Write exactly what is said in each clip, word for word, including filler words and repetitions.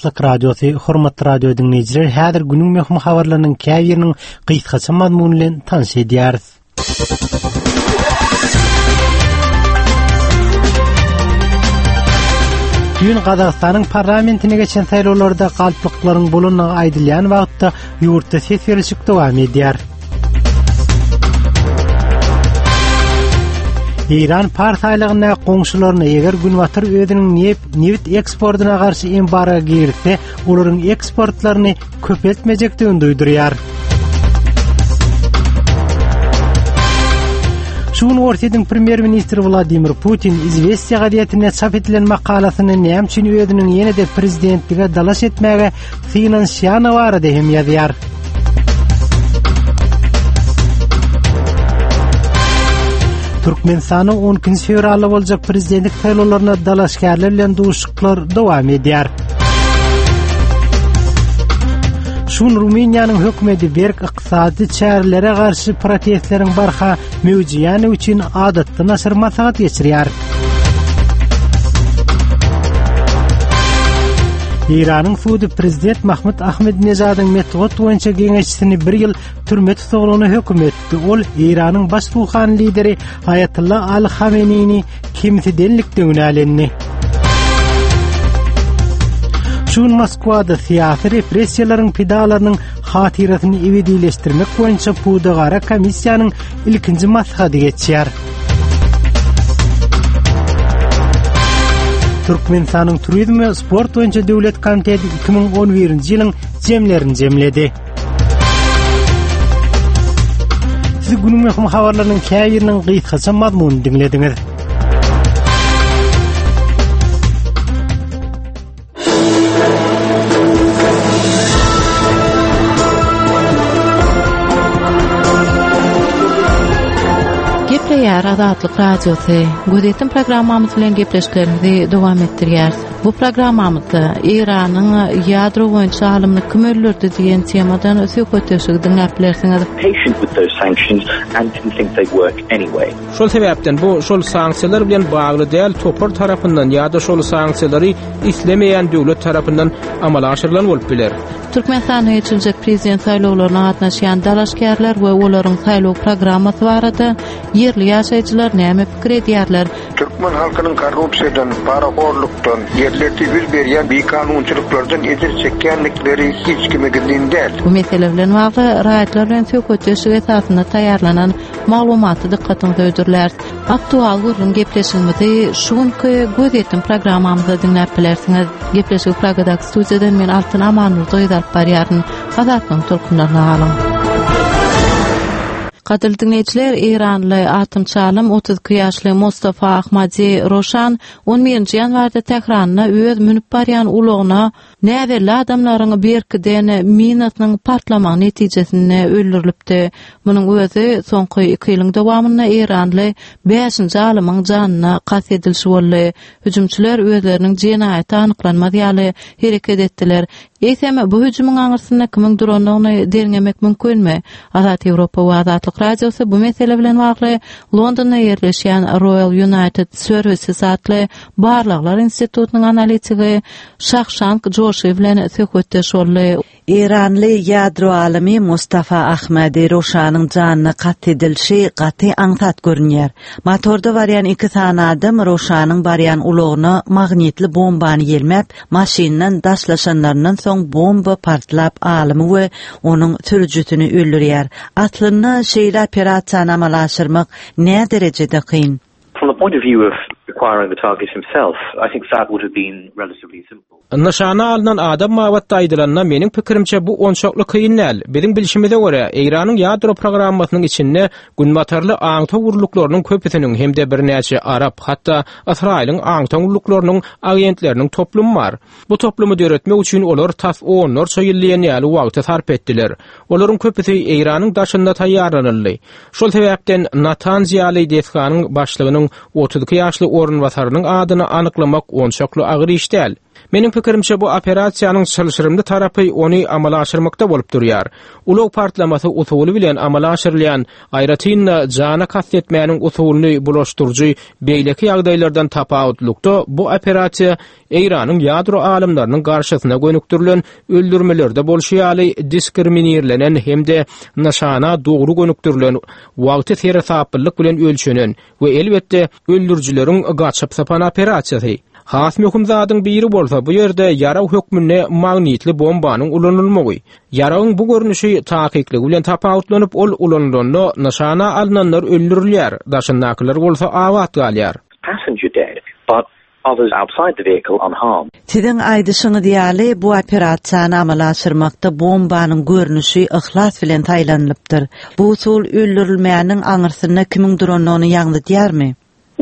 Azatlyk Radiosy, hormatly radio diňleýjiler, häzir günüň möhüm habarlarynyň käbiriniň gysgaça mazmuny bilen tanyş edýäris. Düýn Gazagystanyň parlamentine geçen saýlawlarda galplyklaryň bolandygy aýdylýan wagtda ýurtda ses berişik dowam edýär. Eýran Pars aýlagyndaky goňşularyna eger Günbatar özüniň nebit eksportyna garşy embargo girizse, olaryň eksportlaryny köpeltmejekdigini duýdurýar. Şu gün Orsýetiň premýer-ministri Wladimir Putin Izwestiýa gazetinde çap edilen makalasynda näme üçin özüniň ýene-de prezidentlige dalaş etmäge synanyşýany barada hem ýazýar. Türkmenistanyň on ikinji fewralda boljak prezidentlik saýlawlaryna dalaşgärler bilen duşuşyklar dowam edýär. Şu gün Rumyniýanyň hökümeti berk ykdysady çärelere garşy protestleriň barha möwjeýäni üçin adatdan aşyr maslahat geçirýär. Eýranyň sudy prezident Mahmud Ahmedinejadyň metbugat boýunça geňeşçisini bir ýyl türme tussaglygyna höküm etdi. Ol Eýranyň baş ruhany lideri Aýatullah Ali Hameneýini kemsidenlikde günälendi. Şu gün Moskwada syýasy repressiýalaryň pidalarynyň hatyrasyny ebedileşdirmek boýunça pudagara komissiýanyň ilkinji maslahady geçýär. Türkmenistanyň Turizm we sport boýunça döwlet komiteti iki müň on birinji ýylyň jemlerini jemledi. Siz günüň möhüm habarlarynyň käbiriniň gysgaça mazmunyny diňlediňiz. Gepleýär Azatlyk Radiosy. Gözýetim programmamyz bilen gepleşiklerimizi dowam etdirýäris. Bu programmamyzda Eýranyň ýadro boýunça alymyny kim öldürdi diýen temadan söhbetdeşligi diňläp bilersiňiz. Patient with those sanctions and didn't think they'd work anyway. Şol sebäpden bu şol sanksiýalar bilen bagly däl topar tarapyndan ýa-da şol sanksiýalary islemeýän döwlet tarapyndan amala aşyrylan bolup biler. Türkmenistanda geçiriljek prezident saýlawlaryna gatnaşýan dalaşgärler we olaryň saýlaw programmasy barada ýerli ýaşaýjylar näme pikir edýärler? Türkmen halkynyň korrupsiýadan, parahorlukdan, ýerlerde ýüz berýän bikanunçylyklardan ejir çekýändikleri hiç kime gizlin däl. Bu mesele bilen bagly raýatlar bilen söhbetdeşlik esasynda taýýarlanan maglumaty dykgatyňyza hödürläris. Aktual gürrüň gepleşigimizi şu günki Gözýetim programmamyzda diňläp bilersiňiz. Gepleşigi Pragadaky studiýadan men Altyn Amanmurdy alyp barýaryn. Azatlygyň tolkunlaryna galyň. Gadyrly diňleýjiler, Eýranly atomçy alym otuz iki ýaşly Mustafa Ahmadi Roşan on birinji ýanwarda Tähranda öz münüp barýan ulagyna näbelli adamlaryň berkiden minasynyň partlamagy netijesinde öldürilipdi. Munuň özi soňky iki ýylyň dowamynda Eýranly bäşinji alymyň janyna kast edilişi boldy. Hüjümçiler özleriniň jenaýaty anyklanmaz ýaly hereket etdiler. Eýsem, bu hüjümiň aňyrsynda kimiň durandygyny derňemek mümkinmi? Azat Ýewropa we Azatlyk Radiosy bu mesele bilen bagly Londonda ýerleşýän Royal United Services atly barlaglar institutynyň analitigi Şahşank Joşy bilen söhbetdeş boldy. Eýranly ýadro alymy Mustafa Ahmadi Roşanyň janyna kast edilişi gaty aňsat görünýär. Motorda barýan iki sany adam Roşanyň barýan ulagyna magnitli bombany ýelmäp, maşyndan daşlaşanlaryndan soň bomba partlap alymy we onuň sürüjisini öldürýär. Aslynda şeýle operasiýany amala aşyrmak nä derejede kyn? From the point of view of acquiring the target himself, I think that would have been relatively simple. Nyşana alnan adam babatda aýdylanda meniň pikirimçe bu onçakly kyn däl. Biziň bilşimize görä, Eýranyň ýadro programmasynyň içinde günbatarly aňtaw gurluklarynyň köpüsiniň hem-de birnäçe arap, hatda Ysraýylyň aňtaw gurluklarynyň agentleriniň toplumy bar. Bu toplumy döretmek üçin olar tas onlarça ýyl diýen ýaly wagty sarp etdiler. Olaryň köpüsi Eýranyň daşynda taýýarlanyldy. Şol sebäpden Natanz ýaly desganyň başlygynyň otuz iki ýaşly orunbasarynyň adyny anyklamak onçakly agyr iş däl. Meniň pikirimçe bu operasiýanyň çylşyrymly tarapy ony amala aşyrmakda bolup durýar. Ulag partlamasy usuly bilen amala aşyrylýan, aýratyn-da jana kast etmäniň usulyny bulaşdyryjy beýleki ýagdaýlardan tapawutlykda bu operasiýa Eýranyň ýadro alymlarynyň garşysyna gönükdirilen öldürmelerde bolşy ýaly diskriminirlenen hem-de nyşana dogry gönükdirilen, wagty seresaplylyk bilen ölçenen we elbetde öldürijileriň gaçyp sapan operasiýasy. Has möhüm zadyň biri bolsa bu ýerde ýarag hökmünde magnitli bombanyň ulanylmagy. Ýaragyň bu görnüşi takyklygy bilen tapawutlanyp, ol ulanylanda nyşana alynanlar öldürilýär, daşyndakylar bolsa abat galýar. Passenger dead, but others outside the vehicle unharmed. Siziň aýdyşyňyz ýaly bu operasiýany amala aşyrmakda bombanyň görnüşi yhlas bilen saýlanylypdyr. Bu usul öldürilmäniň aňyrsynda kimiň durandygyny ýaňzydýarmy?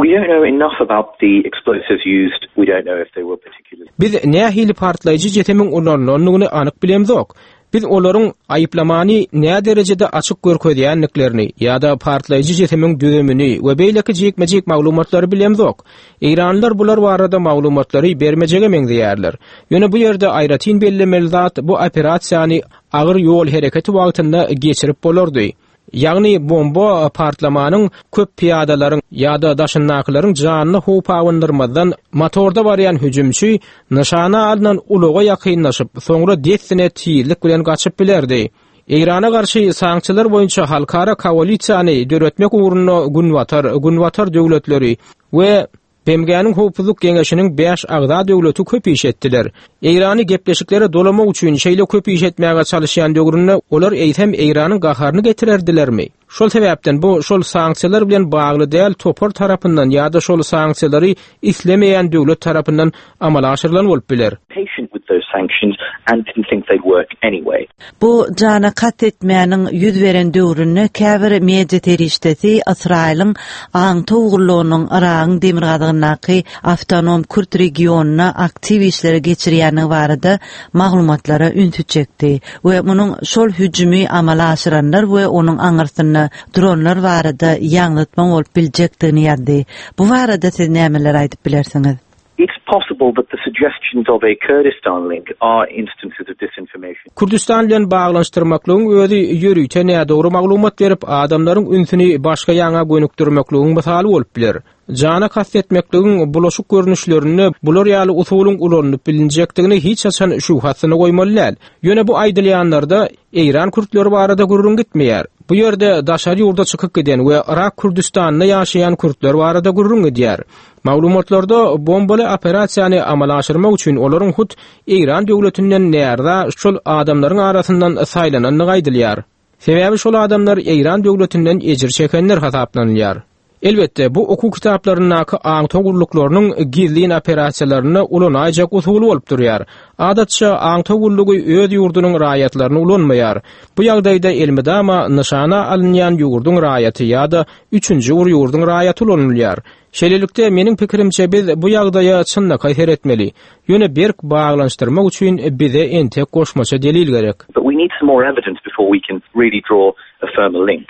We don't know enough about the explosives used. We don't know if they were particularly Biz nähili partlaýjy jesemiň ulanylandygyny anyk bilemzok. Biz olaryň aýyplamany nä derejede açyk görkezýändiklerini ýa-da partlaýjy jesemiň düzümini we beýleki jikme-jik maglumatlary bilemzok. Eýranlylar bular barada maglumatlary bermejege meňzeýärler. Ýöne bu ýerde aýratyn bellemeli zat bu operasiýany agyr ýol hereketi wagtynda geçirip bolardy. Ýagny bomba partlamanyň köp piýadalaryň ýa-da daşyndakylaryň janyny howp abandyrmazdan motorda barýan hüjümçi nyşana alynan ulaga ýakynlaşyp, soňra dessine tizlik bilen gaçyp bilerdi. Eýrana garşy sanksiýalar boýunça halkara koalisiýany döretmek ugrunda Günbatar, Günbatar döwletleri we B M G-niň Howpsuzlyk Geňeşiniň bäş agza döwleti köp iş etdiler. Eýrany gepleşiklere dolamak üçin şeýle köp iş etmäge çalışýan döwründe olar eýsem Eýranyň gaharyny getirerdilermi? Şol sebäpden bu şol sanksiýalar bilen bagly däl topar tarapyndan ýa-da şol sanksiýalary islemeýän döwlet tarapyndan amala aşyrylan bolup biler. Patient with those sanctions and didn't think they'd work anyway. Bu jana kast etmäniň ýüz beren döwründe käbir media serişdesi Ysraýylyň aňtaw gullugynyň Yragyň demirgazygyndaky awtonom Kürt regionyna aktiw işleri geçirýändigi barada maglumatlara ünsi çekdi we munuň şol hüjümi amala aşyranlar we onuň aňyrsynda duranlar barada ýaňzytma bolup biljekdigini ýazdy. Bu barada siz nämeler aýdyp bilersiňiz? It's possible that the suggestions of a Kurdistan link are instances of disinformation. Kürdistan bilen baglanyşdyrmaklygyň özi ýörite nädogry maglumat berip, adamlaryň ünsüni başga ýaňa gönükdirmekligiň mysaly bolup biler. Jana kast etmekligiň bulaşyk görnüşlerinde bular ýaly usulyň ulanylyp bilinjekdigini hiç haçan şübhasyna goýmaly däl. Ýöne bu aýdylýanlarda Eýran kürtleri barada gürrüň gitmeýär. Bu ýerde daşary ýurda çykyp giden we Irak Kürdistanda ýaşaýan kürtler barada gürrüň gidýär. Maglumatlarda bombaly operasiýany amala aşyrmak üçin olaryň hut Eýran döwletinden närza şol adamlaryň arasyndan saýlanandygy aýdylýar. Sebäbi şol adamlar Eýran döwletinden ejir çekenler hasaplanylýar. Elbetde bu okuw kitaplaryndaky aňtaw gulluklarynyň gizlin operasiýalarynda ulanaýjak usuly bolup durýar. Adatça aňtaw gullugy öz ýurdunyň raýatlaryny ulanmaýar. Bu ýagdaýda elmydama nyşana alynýan ýurduň raýaty ýa-da üçünji bir ýurduň raýaty ulanylýar. Şeýlelikde meniň pikirimçe biz bu ýagdaýa çynlakaý seretmeli. Ýöne berk baglanyşdyrmak üçin bize entek goşmaça delil gerek. But we need some more evidence before we can really draw a firmer link.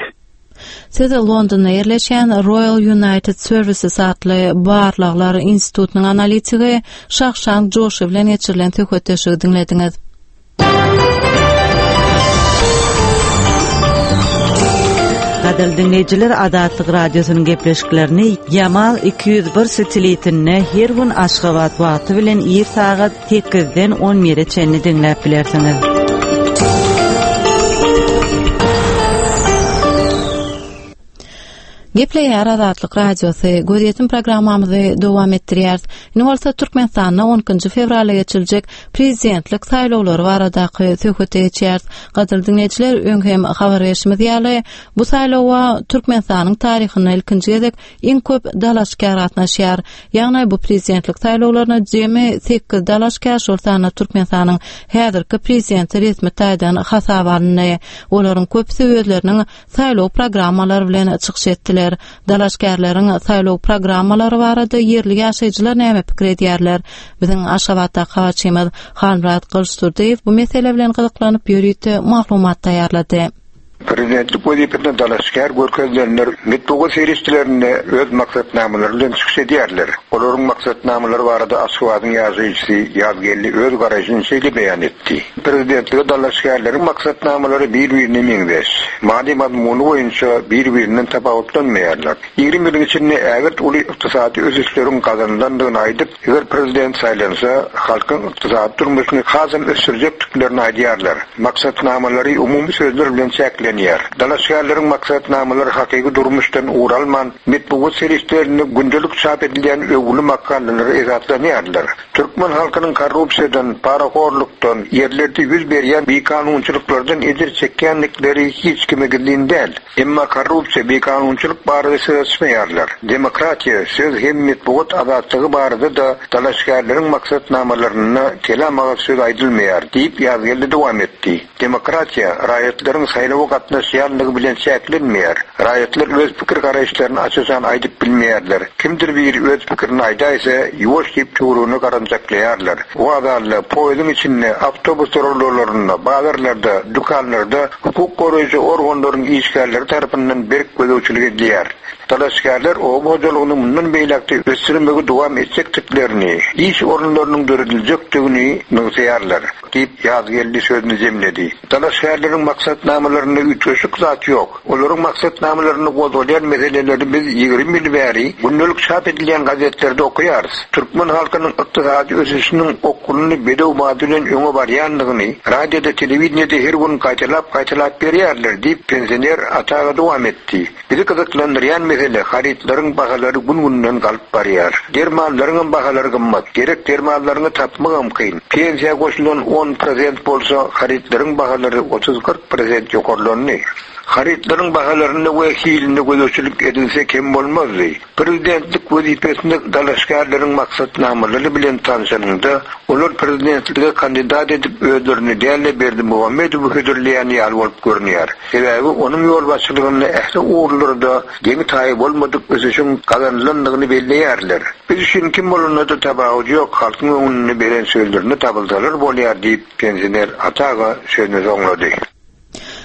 Siz Londonda ýerleşýän Royal United Services atly barlaglar institutynyň analitigi Şahşan Joşy bilen geçirilen söhbetdeşligi diňlediňiz. Gadyrly dinleýjiler, Azatlyk radiosynyň gepleşiklerini Yamal iki ýüz bir satelitinde her gün Aşgabat wagty bilen ir sagat sekizden on bire çenli diňläp bilersiňiz. Gepleýär Azatlyk radiosy. Gözýetim programmamyzy dowam etdirýäris. Indi bolsa Türkmenistanda on ikinji fewralda geçiriljek prezidentlik saýlawlary baradaky söhbete geçýäris. Gadyrly dinleýjiler, öň hem habar berşimiz ýaly, bu saýlawa Türkmenistanyň taryhynda ilkinji gezek iň köp dalaşgär gatnaşýar. Ýagny bu prezidentlik saýlawlaryna jemi sekiz dalaşgär, şol sanda Türkmenistanyň häzirki prezidenti resmi taýdan hasaba alyndy. Olaryň köpüsi özleriniň saýlaw programmalary bilen çykyş etdiler. Dalaşgärleriň saýlaw programmalary barada ýerli ýaşaýjylar näme pikir edýärler? Biziň Aşgabatdaky habarçymyz Halmyrat Gylyçdurdyýew bu mesele bilen gyzyklanyp ýörite maglumat taýýarlady. Prezidentlik wezipesine dalaşgär görkezilenler metbugat serişdelerinde öz maksatnamalary bilen çykyş edýärler. Olaryň maksatnamalary barada Aşgabadyň ýaşaýjysy Ýazgeldi öz garaýşyny şeýle beýan etdi. Prezidentlige dalaşgärleriň maksatnamalary bir-birine meňzeş. Many mazmuny boýunça bir-birinden tapawutlanmaýarlar. Ýigrimi ýylyň içinde ägirt uly ykdysady ösüşleriň gazanylandygyny aýdyp, eger prezident saýlansa, halkyň ykdysady durmuşyny hasam ösdürjekdiklerini aýdýarlar. Maksatnamalary umumy sözler bilen çäklenýär. Dalaşgärleriň maksatnamalary hakyky durmuşdan ugur alman, metbugat serişdelerinde gündelik çap edilýän öwgüli makalalara esaslanýarlar. Türkmen halkynyň korrupsiýadan, parahorlukdan, ýerlerde ýüz berýän bikanunçylyklardan ejir çekýändikleri hiç kime gizlin däl. Emma korrupsiýa, bikanunçylyk barada söz açmaýarlar. Demokratiýa, söz hem metbugat azatlygy barada-da dalaşgärleriň maksatnamalarynda kelam agyz söz aýdylmaýar diýip Ýazgeldi dowam etdi. Demokratiýa raýatlaryň saýlawa gatnaşýanlygy bilen çäklenmeýär. Raýatlar öz pikir garaýyşlaryny açyşan aýdyp bilmeýärler. Kimdir biri öz pikirini aýdaýsa, ýuwaş diýip töweregine garanjaklaýarlar. Wagzalda, poýeziň içinde, awtobus duralgalarynda, bazarlarda, dükanlarda hukuk goraýjy organlaryň işgärleri tarapyndan berk gözegçilik edilýär. Dalaşgärler oba hojalygyny mundan beýläk-de ösdürmegi dowam etjekdiklerini, iş orunlarynyň dörediljekdigini nygtaýarlar diýip Ýazgeldi sözüni jemledi. Dalaşgärleriň maksatnamalarynda üýtgeşik zat ýok. Olaryň maksatnamalarynda gozgalýan meseleleri biz ýigrimi ýyl bäri gündelik çap edilýän gazetlerde okaýarys. Türkmen halkynyň ykdysady ösüşiniň okgunly bedew bady bilen öňe barýandygyny radioda, telewideniýede her gün gaýtalap-gaýtalap berýärler diýip pensioner Ata aga dowam etdi. Bizi gyzyklandyrýan mesele harytlaryň bahalary gün-günden galyp barýar. Dermanlaryň bahalary gymmat. Gerek dermanlaryňy tapmagam kyn. Pensiýa goşulan on prosent bolsa harytlaryň bahalary otuz-kyrk prosent ýokarlandy. Harytlaryň bahalarynda we hilinde gözegçilik edilse kem bolmazdy. Prezidentlik wezipesinde dalaşgärleriň maksatnamalary bilen tanşanynda, olar prezidentlige kandidat edip özlerini däl-de Berdimuhamedowy hödürleýän ýaly bolup görünýär. Sebäbi onuň ýolbaşçylygynda ähli ugurlarda deňi taýy bolmadyk ösüşiň gazanylandygyny belleýärler. Biz üçin kim bolanda-da tapawudy ýok, halkyň öňünde beren sözlerini tapylsalar bolýar diýip pensioner Ata aga sözüni soňlady.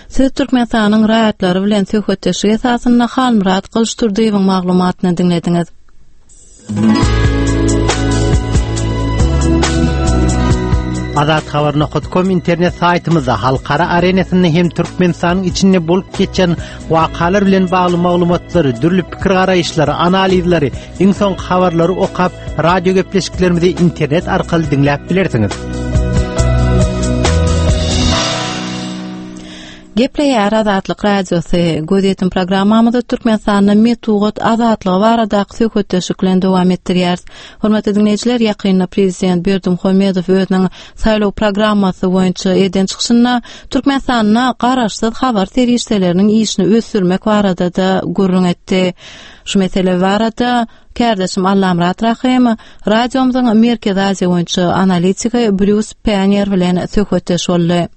Siz Türkmenistanyň raýatlary bilen söhbetdeşlik esasynda Halmyrat Gylyçdurdyýewiň maglumatyny diňlediňiz. Azat Habar nokta com internet saýtymyzda halkara arenasynda hem Türkmenistanyň içinde bolup geçen wakalar bilen bagly maglumatlary, dürli pikir garaýyşlary, analizleri, iň soňky habarlary okap, radio gepleşiklerimizi internet arkaly diňläp bilersiňiz. Gepleýär Azatlyk Radiosy. Gözýetim programmamyzda Türkmenistanda metbugat azatlygy baradaky söhbetdeşlik bilen dowam etdirýäris. Hormatly dinleýjiler, ýakynda Prezident Berdimuhamedow özüniň saýlaw programmasy boýunça eden çykyşynda Türkmenistanda garaşsyz habar serişdeleriniň işini ösdürmek barada-da gürrüň etdi. Şu mesele barada kärdeşim Allamyrat Rahym radiomyzyň Merkezi Aziýa boýunça analitiki Brýus Panniýer bilen söhbetdeş boldy.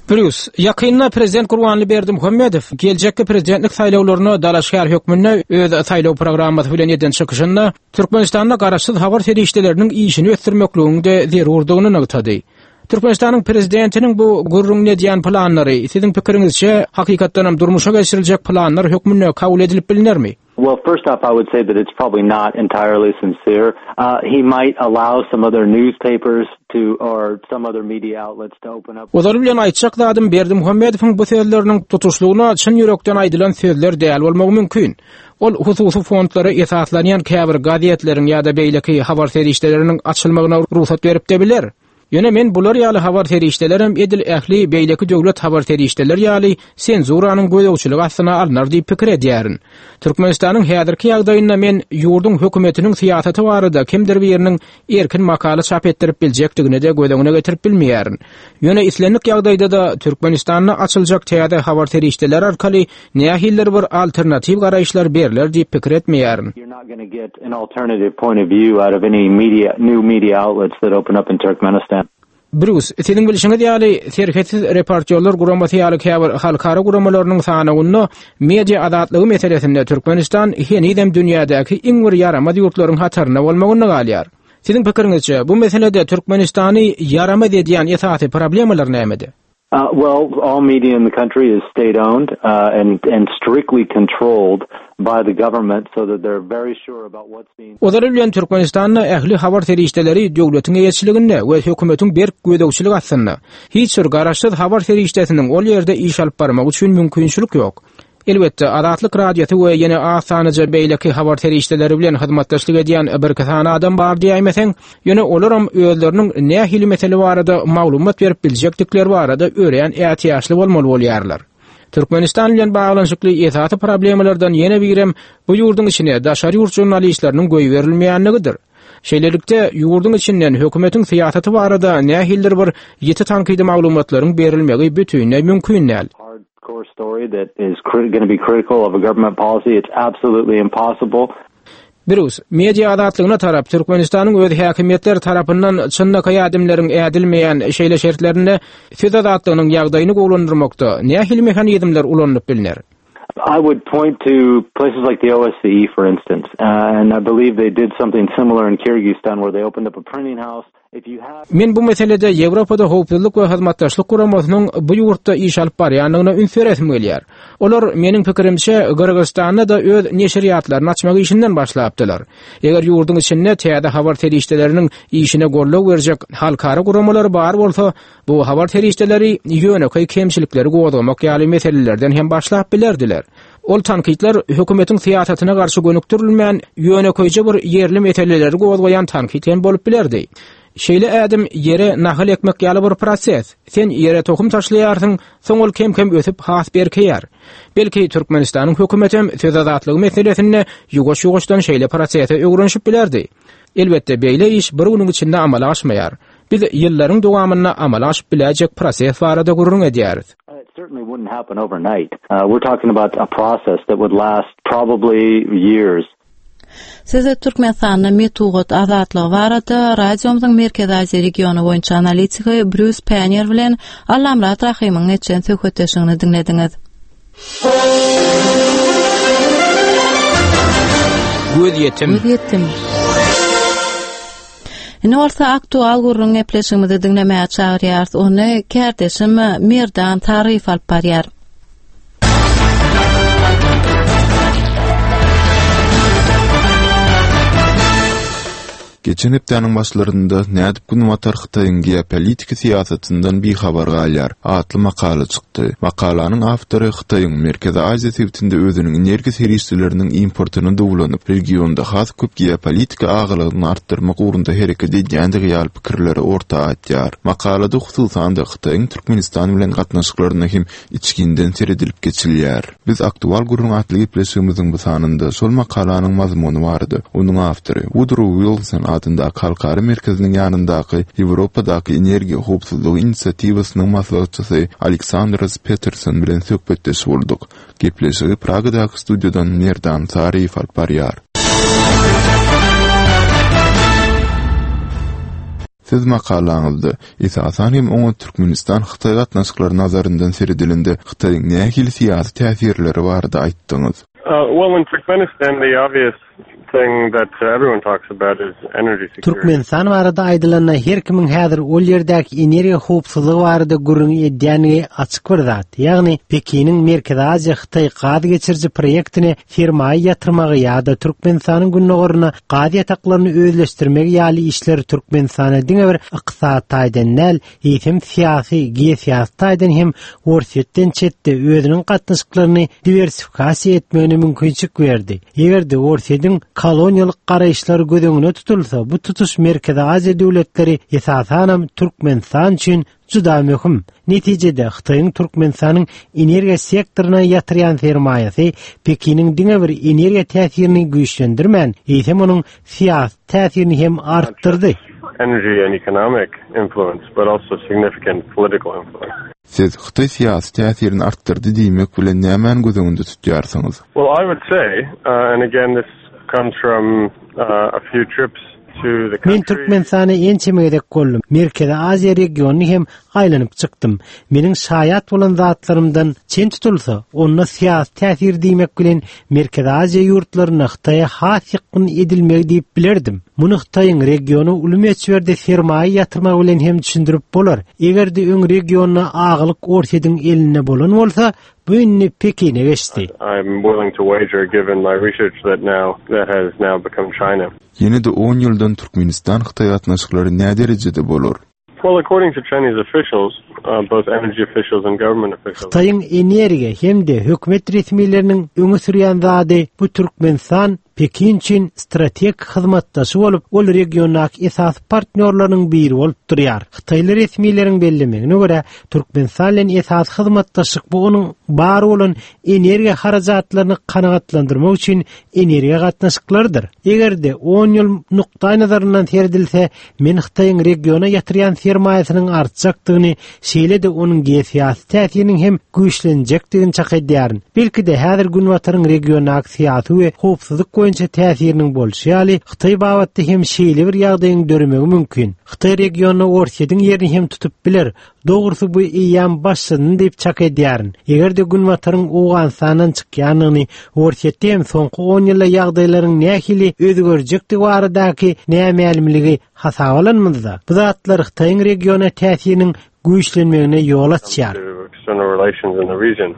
Brýus, ýakynda Prezident Gurbanguly Berdimuhamedow geljekki prezidentlik saýlawlaryna dalaşgär hökmünde öz saýlaw programmasy bilen eden çykyşynda Türkmenistanda garaşsyz habar serişdeleriniň işini ösdürmekligiň-de zerurdygyny nygtady. Türkmenistanyň prezidentiniň bu gürrüňini edýän planlary siziň pikiriňizçe hakykatdanam durmuşa geçiriljek planlar hökmünde kabul edilip bilinermi? Well, first off, I would say that it's probably not entirely sincere. Uh, he might allow some other newspapers to or some other media outlets to open up. Ozaly bilen aýtjak zadym Berdimuhamedowyň bu sözleriniň tutuşlygyna çyn ýürekden aýdylan sözler däl bolmagy mümkin. Ol hususy fondlara esaslanýan käbir gazetleriň ýa-da beýleki habar serişdeleriniň açylmagyna rugsat berip de biler. Ýöne men bular ýaly habar serişdelerem edil ähli beýleki döwlet habar serişdeler ýaly senzuranyň gözegçiligi astyna alnar diýip pikir edýärin. Türkmenistanyň häzirki ýagdaýynda men ýurduň hökümetiniň syýasaty barada kimdir biriniň erkin makala çap etdirip biljekdigini de göz öňüne getirip bilmeýärin. Ýöne islendik ýagdaýda da Türkmenistanda açyljak täze habar serişdeler arkaly nähilidir bir alternatiw garaýyşlar berler diýip pikir etmeýärin. You're not gonna get an alternative point of view out of any media, new media outlets that open up in Turkmenistan. Brýus, siziň bilşiňiz ýaly Serhetsiz reportýorlar guramasy ýaly käbir halkara guramalarynyň sanawynda media azatlygy meselesinde Türkmenistan henizem dünýädäki iň bir ýaramaz ýurtlaryň hatarynda bolmagyny galýar. Siziň pikiriňizçe bu meselede Türkmenistany ýaramaz edýän esasy problemalar nämede? Uh, well, all media in the country is state-owned uh, and and strictly controlled by the government so that they're very sure about what's being Ozaly bilen Türkmenistanda ähli habar serişdeleri döwletiň eýeçiliginde we hökümetiň berk gözegçilik astynda. Hiç bir garaşsyz habar serişdesiniň ol ýerde iş alyp barmak üçin mümkinçilik ýok. Elbetde Azatlyk Radiosy we ýene az sanyja beýleki habar serişdeleri bilen hyzmatdaşlyk edýän bir sany adam bar diýäýmeseň, ýöne olaram özleriniň nähili mesele barada maglumat berip biljekdikleri barada örän ätiýaçly bolmaly bolýarlar. Türkmenistan bilen baglanyşykly esasy problemalardan ýene birem bu ýurduň içine daşary ýurt žurnalistleriniň goýberilmeýänligidir. Şeýlelikde ýurduň içinden hökümetiň syýasaty barada nähilidir bir ýiti tankydy maglumatlaryň berilmegi bütinleý mümkin däl. hardcore story that is going to be critical of a government policy. It's absolutely impossible. Brus, media azatlygyna tarap Türkmenistanyň öz häkimiýetleri tarapyndan çynlakaý ädimleriň ädilmeýän şeýle şertlerinde söz azatlygynyň ýagdaýyny gowulandyrmakda nähili mehanizmler ulanylyp bilner? I would point to places like the OSCE, for instance, uh, and I believe they did something similar in Kyrgyzstan where they opened up a printing house. If you have Men bu meselede Ýewropada howpsuzlyk we hyzmatdaşlyk guramasynyň bu ýurtda iş alyp barýandygyna üns beresim gelýär. Olar meniň pikirimçe Gyrgyzystanda da öz neşirýatlaryny açmak işinden başlapdylar. Eger ýurduň içinde täze habar serişdeleriniň işine goldaw berjek halkara guramalary bar bolsa, bu habar serişdeleri ýönekeý kemçilikleri gozgamak ýaly meselelerden hem başlap bilerdiler. Ol tankytlar hökümetiň syýasatyna garşy gönükdirilmän, ýönekeýje bir ýerli meseleleri gozgaýan tankyt hem bolup bilerdi. Şeýle ädim ýere nahal ekmek ýaly bir proses. Sen ýere tohum taşlaýarsyň, soň ol kem-kem ösüp has berkeýär. Belki Türkmenistanyň hökümeti söz azatlygy meselesinde ýuwaş-ýuwaşdan şeýle prosese öwrenişip bilerdi. Elbetde beýle iş bir günüň içinde amala aşmaýar. Biz ýyllaryň dowamynda amala aşyp biläjek proses barada gürrüň edýäris. It certainly wouldn't happen overnight. Uh, we're talking about a process that would last probably years. Size Türkmenistanda metbugat azatlygy barada radiomyzyň Merkezi Aziýa regiony boýunça analitiki Brýus Pannier bilen Allamyrat Rahymyň geçen söhbetdeşligini diňlediňiz. Göz ýetim. Göz ýetim. Indi bolsa aktual gürrüň gepleşigimizi diňlemäge çagyrýarys. Ony kärdeşim Merdan Taryf alyp barýar. Geçen hepdäniň başlarynda nädip Günbatar Hytaýyň geopolitiki syýasatyndan bihabar galýar atly makala çykdy. Makalanyň awtory Hytaýyň Merkezi Aziýa sebitinde özüniň energiýa serişdeleriniň importyny dowlanyp, regionda has köp geopolitiki agalygyny artdyrmak ugrunda hereket edýändigi ýaly pikirleri orta atýar. Makalada hususan-da Hytaýyň Türkmenistan bilen gatnaşyklaryna hem içginden seredilip geçilýär. Biz aktual gürrüň atly gepleşigimiziň bu sanynda şol makalanyň mazmuny barada onuň awtory Woodrow Wilson adyndaky halkara merkeziniň ýanyndaky Ýewropadaky energiýa howpsuzlygy inisiatiwasynyň maslahatçysy Aleksandros Peterson bilen söhbetdeş bolduk. Gepleşigi Pragadaky studiýadan Merdan Saryýew alyp barýar. Siz makalaňyzda esasan hem oňa Türkmenistan Hytaý gatnaşyklary nazaryndan seredilende Hytaýyň nähili syýasy täsirleri barada aýtdyňyz. Uh, well, in Turkmenistan, the obvious thing that uh, everyone talks about is energy security. Türkmenistan barada aýdylanda her kimiň häzir ol ýerdäki energiýa howpsuzlygy barada gürrüň edýänligi açyk bir zat. Ýagny Pekiniň Merkezi Aziýa Hytaý gaz geçiriji proýektine sermaýa ýatyrmagy ýa-da Türkmenistanyň gündogaryna gaz ýataklaryny özleşdirmegi ýaly işler Türkmenistana diňe bir ykdysady taýdan däl, eýsem syýasy, geosyýasy taýdan hem Orsýetden çetde özüniň gatnaşyklaryny diwersifikasiýa etmegine mümkinçilik berdi. Eger-de Orsýetiň koloniýalyk garaýyşlary göz öňüne tutulsa, bu tutuş Merkezi Aziýa döwletleri esasanam Türkmenistan üçin juda möhüm. Netijede Hytaýyň Türkmenistanyň energiýa sektoryna ýatyrýan sermaýasy Pekiniň diňe bir energiýa täsirini güýçlendirmän, eýsem onuň syýasy täsirini hem artdyrdy. Energy and economic influence, but also significant political influence. Siz Hytaý syýasy täsirini artdyrdy diýmek bilen nämäni göz öňünde tutýarsyňyz? Well, I would say, uh, and again, this comes from uh, a few trips to the Men country. Türkmenistana ençeme gezek boldum. Merkezi Aziýa regionyny hem aýlanyp çykdym. Meniň şaýat bolan zatlarymdan çen tutulsa, onda syýasy täsir diýmek bilen Merkezi Aziýa ýurtlaryna Hytaýa has ýakyn edilmegi diýip bilerdim. Muny Hytaýyň regiona uly möçberde sermaýa ýatyrmagy bilen hem düşündirip bolar. Eger-de öň regionda agalyk Orsýetiň elinde bolan bolsa, bu indi Pekine geçdi. I'm willing to wager, given my research, that now that has now become China. Ýene-de on ýyldan Türkmenistan-Hytaý gatnaşyklary nä derejede bolar? Well, according to Chinese officials, uh, both energy officials and government officials, Hytaýyň energiýa hem-de hökümet resmileriniň öňe sürýän zady bu Türkmenistan Pekin üçin strategik hyzmatdaşy bolup, ol regiondaky esasy partnýorlarynyň biri bolup durýar. Hytaýly resmileriň bellemegine görä, Türkmenistan bilen esasy hyzmatdaşlyk bu onuň bar bolan energiýa harajatlaryny kanagatlandyrmak üçin energiýa gatnaşyklarydyr. Eger-de on ýyl nukdaý nazaryndan seredilse, men Hytaýyň regiona ýatyrýan sermaýasynyň artjakdygyny, şeýle-de onuň geosyýasy täsiriniň hem güýçlenjekdigini çak edýärin. Belki-de häzir Günbataryň regiondaky syýasy we howpsuzlyk boýunça täsiriniň bolşy ýaly, Hytaý babatda hem şeýle bir ýagdaýyň döremegi mümkin. Hytaý regionda Orsýetiň ýerini hem tutup biler. Dogrusu bu eýýäm başladyny diýip çak edýärin. Eger-de Günbataryň Owganystandan çykýanyny, Orsýetde hem soňky on ýylda ýagdaýlaryň nähili özgerjekdigi baradaky nämälimligi hasaba alynmazda, bu zatlar Hytaýyň regiona täsiriniň güýçlenmegine ýol açýar. External relations in the region.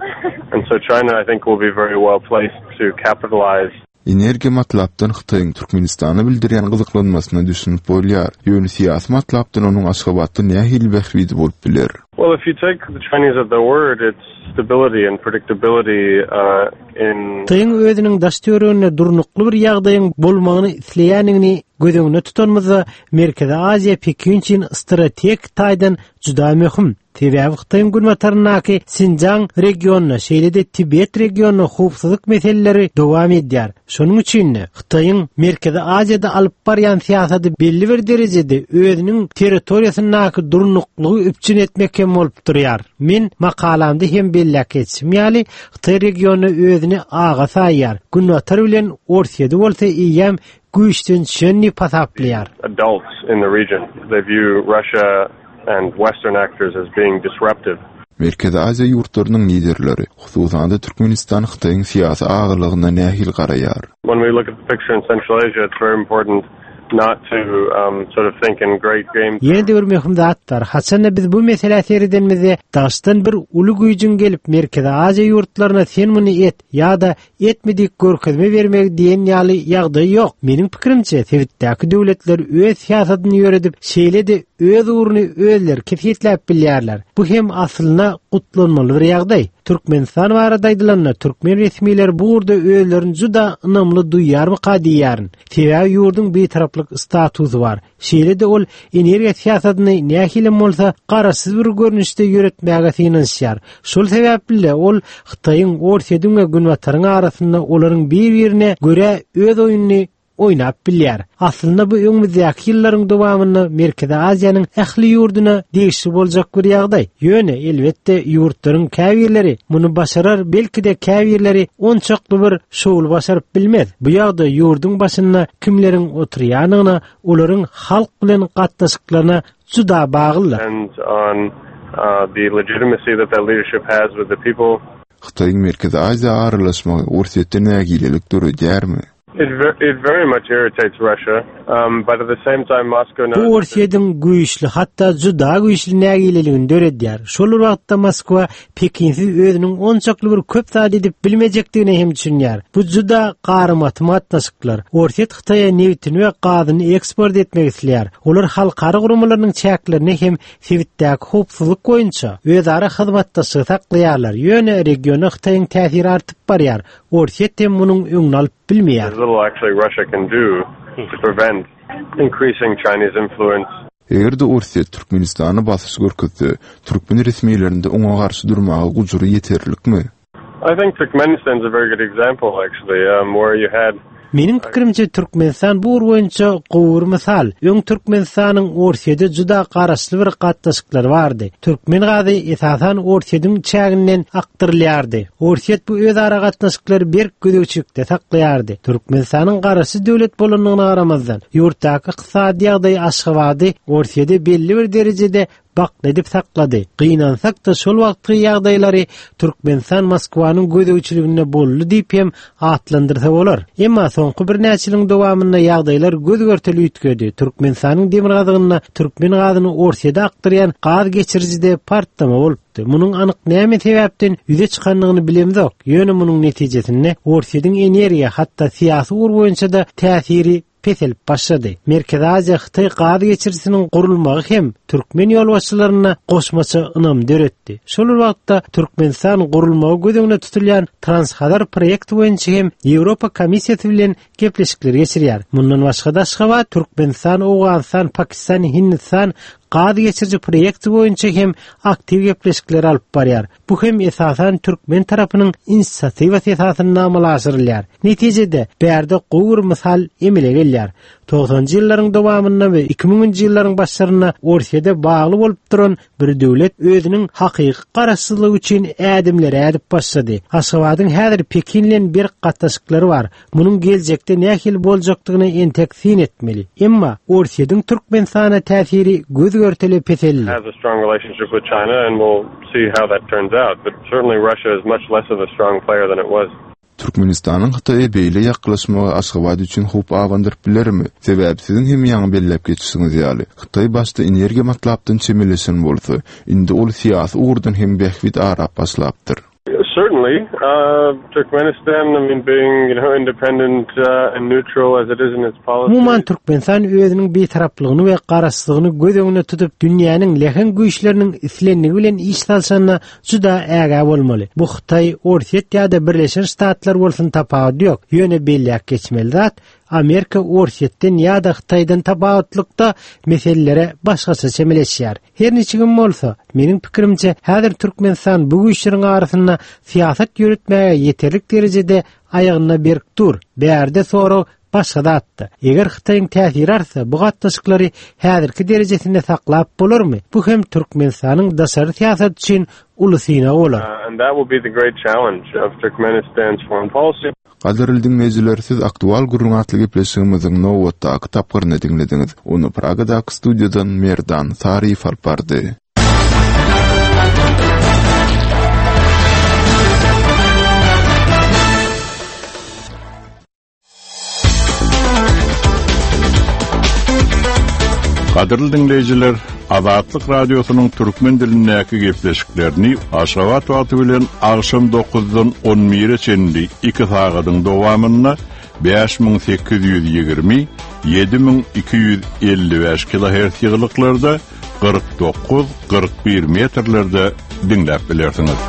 And so China, I think, will be very well placed to capitalize. Energiýa matlapdan Hytaýyň Türkmenistana bildirýän gyzyklanmasyna düşünip bolýar. Ýöne syýasy matlapdan onuň Aşgabatda nähili bähbidi bolup biler? Well, if you take the Chinese at their word, it's stability and predictability, uh, in Hytaýyň özüniň daş töwereginde durnukly bir ýagdaýyň bolmagyny isleýändigini göz öňünde tutanymyzda, Merkezi Aziýa Pekin üçin strategik taýdan juda möhüm. Sebäbi Hytaýyň günbataryndaky Sinjaň regionynda, şeýle-de Tibet regionynda howpsuzlyk meseleleri dowam edýär. Şonuň üçin-de Hytaýyň Merkezi Aziýada alyp barýan syýasaty belli bir derejede özüniň territoriýasyndaky durnuklygy üpjün etmek hem bolup durýar. Men makalamda hem belläp geçdim ýaly, Hytaý regionynda özüni aga saýýar. Günbatar bilen Orsýeti bolsa eýýäm güýçden düşen diýip hasaplaýar. Adults in the region. They view Russia and Western actors as being disruptive. Merkezi Aziýa ýurtlarynyň liderleri, hususan-da Türkmenistan Hytaýyň syýasy agalygyna nähili garaýar? When we look at the picture in Central Asia, it's very important not to, um, sort of think in great games. Ýene-de bir möhüm zat bar. Haçanda biz bu meselä seredenimizde daşdan bir uly güýjüň gelip Merkezi Aziýa ýurtlaryna sen muny et ýa-da etmedik görkezme bermegi diýen ýaly ýagdaý ýok. Meniň pikirimçe, sebitdäki döwletler öz syýasatyny ýöredip, şeýle-de öz ugruny özleri kesgitläp bilýärler. Bu hem aslynda gutlanmaly bir ýagdaý. Türkmenistan barada aýdylanda, türkmen resmileri bu ugurda özlerini juda ynamly duýýarmyka diýýärin. Sebäbi ýurduň bitaraplyk statusy bar. Şeýle-de ol energiýa syýasatyny nähili bolsa garaşsyz bir görnüşde ýöretmäge synanyşýar. Şol sebäpli ol Hytaýyň, Orsýetiň we Günbataryň arasynda olaryň bir-birine görä öz oýnuny oýnap bilýär. Aslynda bu öňümizdäki ýyllaryň dowamynda Merkezi Aziýanyň ähli ýurduna degişli boljak bir ýagdaý. Ýöne elbetde ýurtlaryň käbirleri muny başarar, belki-de käbirleri onçakly bir şowly başaryp bilmez. Bu ýagdaý ýurduň başynda kimleriň oturýanyna, olaryň halk bilen gatnaşyklaryna juda baglydyr. Depends on, uh, the legitimacy that that leadership has with the people. Hytaýyň Merkezi Aziýa aralaşmagy Orsýetde nägilelik döredýärmi? It ver-, it very much irritates Russia, um, but at the same time Moscow knows Bu Orsýetiň güýçli, hatda juda güýçli nägileligini döredýär. Şol bir wagtda Moskwa Pekinsiz özüniň onçakly bir köp zat edip bilmejekdigini hem düşünýär. Bu juda garymatym gatnaşyklar. Orsýet Hytaýa nebitini we gazyny eksport etmek isleýär. Olar halkara guramalarynyň çäklerine hem sebitdäki howpsuzlyk boýunça özara hyzmatdaşlygy saklaýarlar. Ýöne regiona Hytaýyň täsiri artyp barýar. Orsýet hem munuň öňüni alyp bilmeýär. There's little actually Russia can do to prevent increasing Chinese influence. Eger-de Orsýet Türkmenistana basyş görkezse, türkmen resmilerinde oňa garşy durmaga gujury ýeterlikmi? I think Turkmenistan is a very good example actually, um, where you had Meniň pikirimçe Türkmenistan bu ugur boýunça gowy bir mysal. Öň Türkmenistanyň Orsýete juda garaşly bir gatnaşyklary bardy. Türkmen gazy esasan Orsýetiň çäginden akdyrylýardy. Orsýet bu özara gatnaşyklary berk gözegçilikde saklaýardy. Türkmenistanyň garaşsyz döwlet bolandygyna garamazdan, ýurtdaky ykdysady ýagdaý Aşgabady Orsýete belli bir derejede bakly edip saklady. Gynansak-da şol wagtky ýagdaýlary Türkmenistan Moskwanyň gözegçiliginde boldy diýip hem atlandyrsa bolar. Emma soňky birnäçe ýylyň dowamynda ýagdaýlar göz görteli üýtgedi. Türkmenistanyň demirgazygynda türkmen gazyny Orsýete akdyrýan gaz geçirijide partlama bolupdy. Munuň anyk näme sebäpden ýüze çykandygyny bilemzok. Ýöne munuň netijesinde Orsýetiň energiýa hatda syýasy ugur boýunça da täsiri peselip başlady. Merkezi Aziýa Hytaý gaz geçirijisiniň gurulmagy hem türkmen ýolbaşçylaryna goşmaça ynam döretdi. Şol wagtda Türkmenistan gurulmagy göz öňünde tutulýan Transhazar proýekti boýunça hem Ýewropa Komissiýasy bilen gepleşikler geçirýär. Mundan başga da Aşgabat, Türkmenistan, Owganystan, Pakistan, Hindistan gaz geçiriji proýekti boýunça hem aktiw gepleşikler alyp barýar. Bu hem esasan türkmen tarapynyň inisiatiwasy esasynda amala aşyrylýar. Netijede bärde gowy bir mysal emele gelýär. Togsanjy ýyllaryň dowamynda we iki müňünji ýyllaryň başlarynda Orsýete bagly bolup duran bir döwlet özüniň hakyky garaşsyzlygy üçin ädimleri ädip başlady. Aşgabadyň häzir Pekin bilen bir gatnaşyklary bar. Munuň geljekde nähili boljakdygyny entek syn etmeli. Emma Orsýetiň Türkmenistana täsiri göz görteli peseldi. Has a strong relationship with China and we'll see how that turns out. But certainly Russia is much less of a strong player than it was. Türkmenistanyň Hytaýa beýle ýaklaşmagy Aşgabat üçin howp abandyryp bilermi? Sebäbi siziň hem ýaňy belläp geçişiňiz ýaly, Hytaý başda energiýa matlapdan çemeleşen bolsa, indi ol syýasy ugurdan hem bähbit arap başlapdyr. Certainly, uh, Turkmenistan, I mean, being, you know, independent, uh, and neutral as it is in its policy. Umuman Türkmenistan özüniň bitaraplygyny we garaşsyzlygyny göz öňünde tutup, dünýäniň lehen güýçleriniň islenligi bilen iş salşanyna juda ägä bolmaly. Bu Hytaý, Orsýet ýa-da Birleşen Ştatlar bolsun tapawudy ýok. Ýöne belläp geçmeli zat, Amerika Orsýetden ýa-da Hytaýdan tapawutlykda meselelere başgaça çemeleşýär. Her niçigim bolsa, meniň pikirimçe häzir Türkmenistan bu güýçleriň arasynda syýasat ýöretmäge ýeterlik derejede aýagynda berk dur. Bärde sorag başga zatda. Eger Hytaýyň täsiri artsa, bu gatnaşyklary häzirki derejesinde saklap bolarmy? Bu hem Türkmenistanyň daşary syýasat üçin uly synag bolar. Uh, and that will be the great challenge of Turkmenistan's foreign policy. Gadyrly diňleýjiler, siz aktual gürrüň atly gepleşigimiziň nobatdaky tapgyryny diňlediňiz. Ony Pragadaky studiýadan Merdan Saryýew alyp bardy. Gadyrly diňleýjiler, Azatlyk Radiosynyň türkmen dilindäki gepleşiklerini Aşgabat wagty bilen agşam dokuzdan on bire çenli iki sagadyň dowamynda bäş müň sekiz ýüz ýigrimi, ýedi müň iki ýüz elli bäş kilohertz ýygylyklarda kyrk dokuz, kyrk bir metrlerde diňläp bilersiňiz.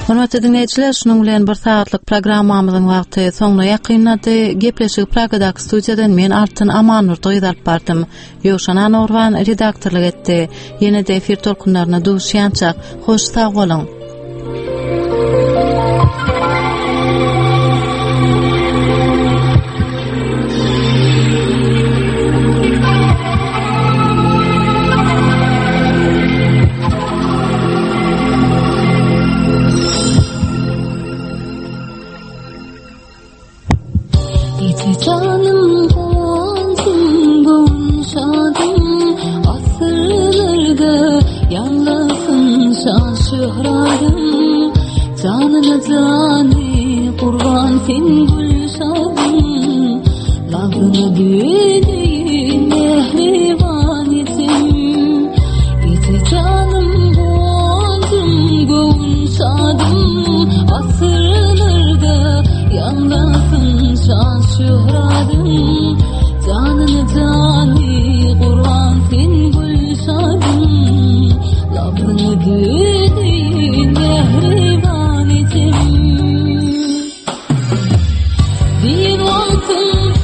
Hormatly dinleýjiler, şunuň bilen bir sagatlyk programmamyzyň wagty soňuna ýakynlady. Gepleşigi Pragadaky studiýadan men Altyn Amanurdy gyz alyp bardym. Ýowşan Anurban redaktorlyk etdi. Ýene-de efir tolkunlaryna duşýançak, hoş sag boluň.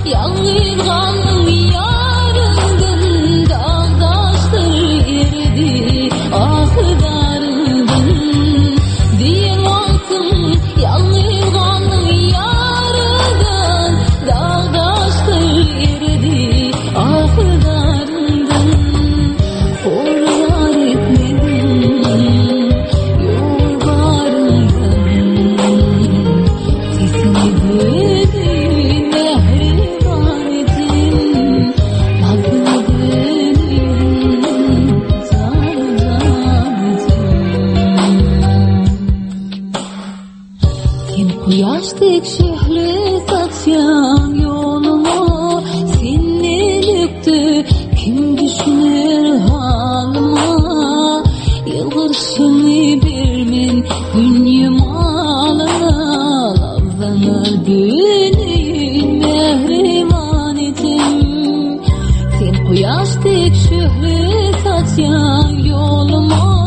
Yalnız kaldım. Kuýaş dek şöhle saçýan ýoluma.